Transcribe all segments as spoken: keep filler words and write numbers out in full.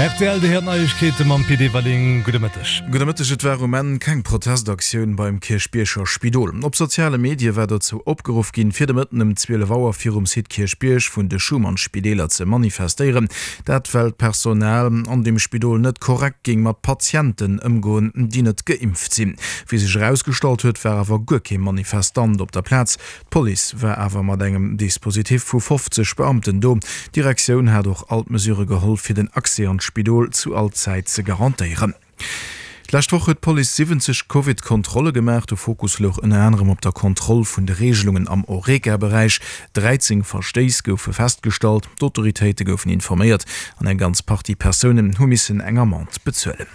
Rtl, Dir héiert Neiegkeete mam Pit Everling. Gudde Mëtteg. Gudde Mëtteg. Et war um Enn keng Protestaktioun beim Kierchbierger Spidol. Op soziale Medie war dozou opgeruff ginn, fir de Mëtten ëm zwielef Auer virum Site Kierchbierg vun de Schuman-Spideeler ze manifestéieren. Dat well d'Personal an deem Spidol net korrekt géing mat Patienten ëmgoen, déi net geimpft sinn. Wéi sech erausgestallt huet, war awer guer kee Manifestant op der Plaz. D'Police war awer mat engem Dispositif vu fofzeg Beamten do. D'Direktioun hat och all d'Mesurë geholl, fir den Accès an d'Spidol zu all Zäit ze garantéieren. D'lescht Woch huet d'Police siwwenzeg Covid-Kontrolle gemaach. De Fokus louch ënner anerem op der Kontroll vun de Reegelungen am Horeca-Beräich. dräizéng Verstéiss goufe festgestallt, d'Autoritéite goufen informéiert an eng ganz Partie Persounen hu missen eng Amende bezuelen.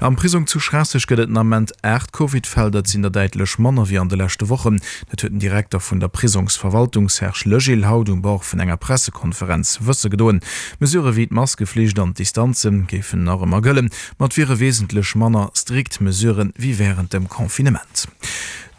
Am Prisong zu Schraasseg gëtt et den Ament aacht Covid-Fäll. Dat sinn der däitlech manner wéi an de leschte Wochen. Dat huet den Direkter vun der Prisongsverwaltung Serge Legil haut um Bord vun enger Pressekonferenz wësse gedoen. Mesurë wéi d'Maskeflicht an d'Distanze géifen nach ëmmer gëllen, ma et wiere wesentlech manner strikt Mesurë wéi wärend dem Confinement.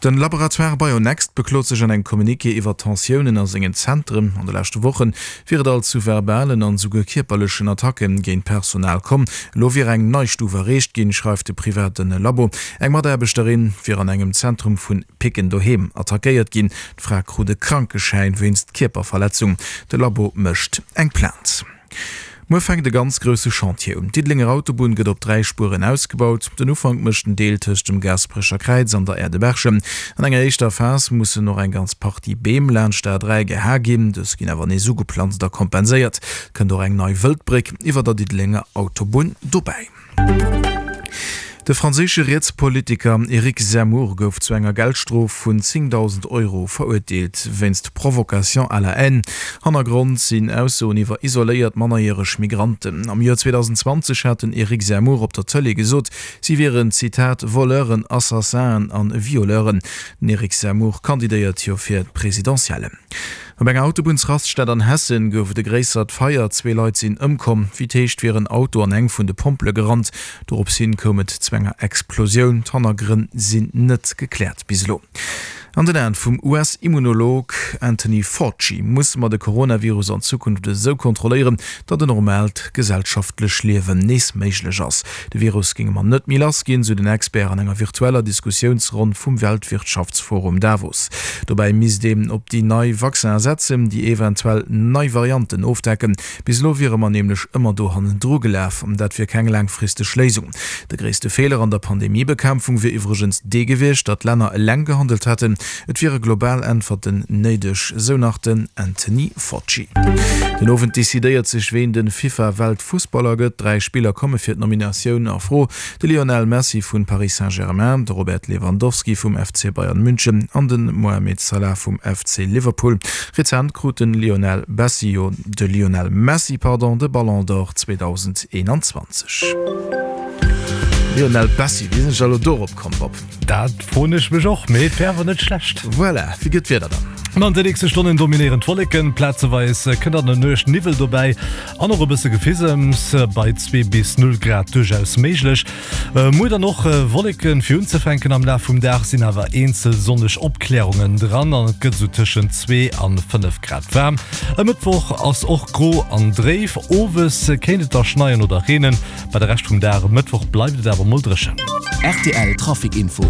Den Laboratoire Bionext beklot sech an engem Communiqué iwwer Tensiounen a sengen Zentren. An de leschte Woche wier et alt zu verbalen an esouguer kierperlechen Attacke géint d'Personal komm. Elo wier eng nei Stuf erreecht ginn, schreift de private Labo. Eng Mataarbechterin wier an engem Zentrum vun Picken doheem attackéiert ginn. D'Fra krut e Krankeschäin wéinst Kierperverletzung. De Labo mécht eng Plainte. Muer fänkt e ganz grousse Chantier un. D'Diddelenger Autobunn gëtt op dräi Spueren ausgebaut. Den Ufank mécht den Deel tëscht dem Gaasperecher Kräiz an der Aire de Berchem. An enger éischter Phas mussen och eng ganz Partie Beem laanscht d'A dräi geha ginn. Dës ginn awer nees ugeplanzt a kompenséiert. Et kënnt och eng nei Wëldbréck iwwer der Diddelenger Autobunn dobäi. De franséische Rietspolitiker Eric Zemmour gouf zu enger Geldstrof vun zéngdausend Euro verurteelt, wéinst Provocation à la haine. Hannergrond sinn Aussoen iwwer isoléiert mannerjäreg Migranten. Am Joer zweedausendzwanzeg hat den Eric Zemmour op der Tëlee gesot, si wieren, Zitat, Voleuren, Assassinen an Violeuren. Den Eric Zemmour kandidéiert jo fir d'Presidentiellen. Op enger Autobunnsraststätt an Hessen gouf et e gréissert Feier. Zwee Leit sinn ëmkomm. Wéi et heescht, wier en Auto an eng vun de Pompele gerannt. Dorops hin koum et zu enger Explosioun. D'Hannergrënn sinn net gekläert bis elo. An den Aen vum U S-Immunolog Anthony Fauci musse mer de Coronavirus an Zukunft esou kontrolléieren, datt en normaalt gesellschaftlech Liewen nees méiglech ass. De Virus géinge mer net méi lass ginn, sou den Expert an enger virtueller Diskussiounsronn vum Weltwirtschaftsforum Davos. Dobäi misst een op déi nei Vaccinen setzen, déi eventuell nei Varianten ofdecken. Bis elo wiere mer nämlech ëmmer do hannendru gelaf, an dat wier keng laangfristeg Léisung. De gréisste Feeler an der Pandemiebekämpfung wier iwwregens dee gewiescht, datt d'Länner eleng gehandelt hätten. Et wiere global Äntwerten néideg, sou nach den Anthony Fauci. Den Owend decidéiert sech, ween de FIFA-Weltfussballer gëtt. Dräi Spiller komme fir d'Nominatioun a Fro, de Lionel Messi vu Paris Saint-Germain, de Robert Lewandowski vum F C Bayern München an de Mohamed Salah vum F C Liverpool. Rezent krut de Lionel Bessi jo de Lionel Messi, pardon, de Ballon d'Or zweedausendeenanzwanzeg. Lionel Bessi, wéi sinn ech elo dorop komm, Bob? Dat froen ech mech och, mee et wär awer net schlecht. Voilà, wéi gëtt d'Wieder dann? An de nächste Stonnen dominéieren d'Wolleken, plazeweis kënnt an der Nuecht Niwwel dobäi an och e bësse Gefisems, bei zwee bis null Grad duerchaus méiglech. Muer dann och Wolleken fir unzefänken, am Laf vum Dag sinn awer eenzel sonneg Opklärungen dran an et gëtt esou tëschent zwee an fënnef Grad waarm. E Mëttwoch ass och gro an dréif, owes kéint et da schneien oder reenen. Bei de Rescht vum Dag e Mëttwoch bleift et awer mol dréchen. R T L Trafic Info.